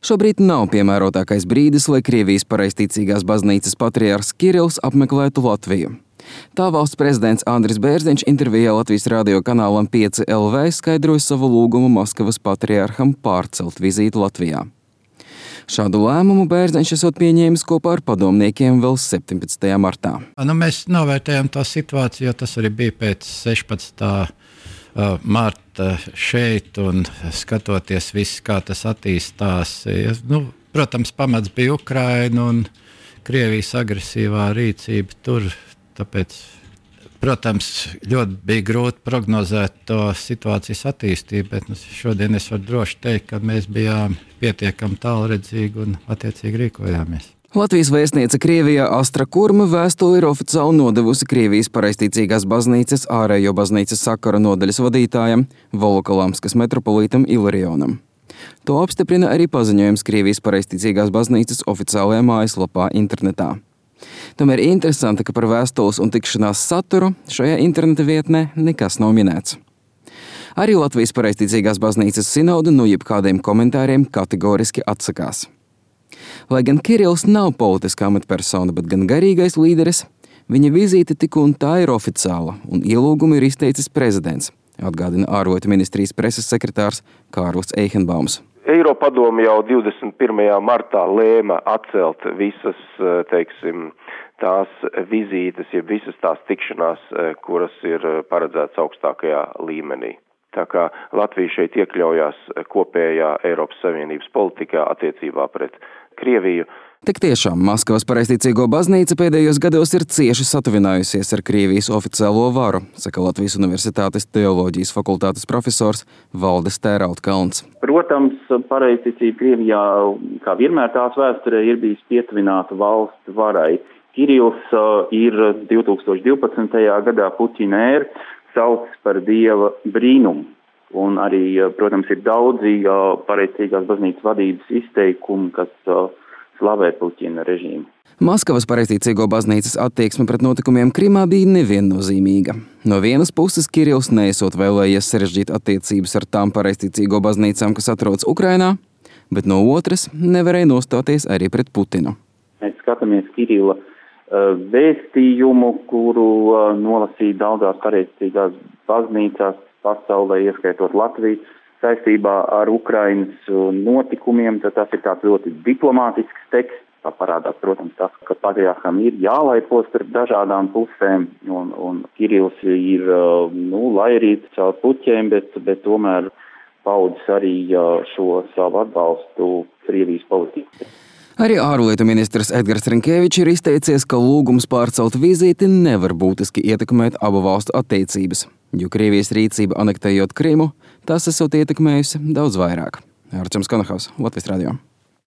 Šobrīd nav piemērotākais brīdis, lai Krievijas pareizticīgās baznīcas patriārhs Kirills apmeklētu Latviju. Tā valsts prezidents Andris Bērziņš intervijā Latvijas radio kanālam 5LV skaidroja savu lūgumu Maskavas patriārham pārcelt vizīti Latvijā. Šādu lēmumu Bērziņš esot pieņēmis kopā ar padomniekiem vēl 17. martā. Mēs novērtējam to situāciju, jo tas arī bija pēc 16. marta šeit un skatoties viss, kā tas attīstās. Protams, pamats bija Ukraina un Krievijas agresīvā rīcība tur, tāpēc, protams, ļoti bija grūti prognozēt to situācijas attīstību, bet šodien es varu droši teikt, ka mēs bijām pietiekami tālredzīgi un attiecīgi rīkojāmies. Latvijas vēstniece Krievijā Astra Kurma vēstuli ir oficiāli nodevusi Krievijas pareizticīgās baznīcas ārējo baznīcas sakara nodaļas vadītājam, Volokolamskas metropolītam Ilarionam. To apstiprina arī paziņojums Krievijas pareizticīgās baznīcas oficiālajā mājaslapā internetā. Tomēr interesanti, ka par vēstules un tikšanās saturu šajā interneta vietnē nekas nav minēts. Arī Latvijas pareizticīgās baznīcas sinode no jebkādiem komentāriem kategoriski atsakās. Lai gan Kirills nav politiskā amatpersona, bet gan garīgais līderis, viņa vizīte tik un tā ir oficiāla un ielūgumu ir izteicis prezidents, atgādina ārlietu ministrijas preses sekretārs Kārlis Eihenbaums. Eiropadome jau 21. martā lēma atcelt visas, tās vizītes, ja visas tās tikšanās, kuras ir paredzētas augstākajā līmenī. Tā kā Latvija šeit iekļaujās kopējā Eiropas Savienības politikā attiecībā pret Krieviju. Tik tiešām Maskavas pareizticīgo baznīca pēdējos gados ir cieši satuvinājusies ar Krievijas oficiālo varu, saka Latvijas Universitātes teoloģijas fakultātes profesors Valdis Tērauda-Kalns. Protams, pareizticība Krievijā, kā vienmēr tās vēsturē, ir bijis pietuvināta valsts varai. Kirills ir 2012. gadā Puķina ēru sauc par dieva brīnumu. Un arī, protams, ir daudzi pareizticīgās baznīcas vadības izteikumi, kas slavē Puķina režīmu. Maskavas pareizticīgo baznīcas attieksme pret notikumiem Krimā bija neviennozīmīga. No vienas puses Kirills neesot vēlējies sarežģīt attiecības ar tām pareizticīgo baznīcām, kas atrodas Ukrainā, bet no otras nevarēja nostāties arī pret Putinu. Mēs skatāmies Kirilla vēstījumu, kuru nolasīja daudzās pareizticīgās baznīcās pasaulē, ieskaitot Latviju, saistībā ar Ukrainas notikumiem, tad tas ir tāds ļoti diplomātisks teksts. Tā parādās, protams, tas, ka patriārham ir jālaipo starp dažādām pusēm, un Kirills ir, lai arī caur puķiem, bet tomēr paudis arī šo savu atbalstu Krievijas politikai. Arī ārlietu ministrs Edgars Rinkēvičs ir izteicies, ka lūgums pārcelt vizīti nevar būtiski ietekmēt abu valstu attiecības, jo Krievijas rīcība anektējot Krimu, tas esot ietekmējusi daudz vairāk. Arčuns Konohaus, Latvijas radio.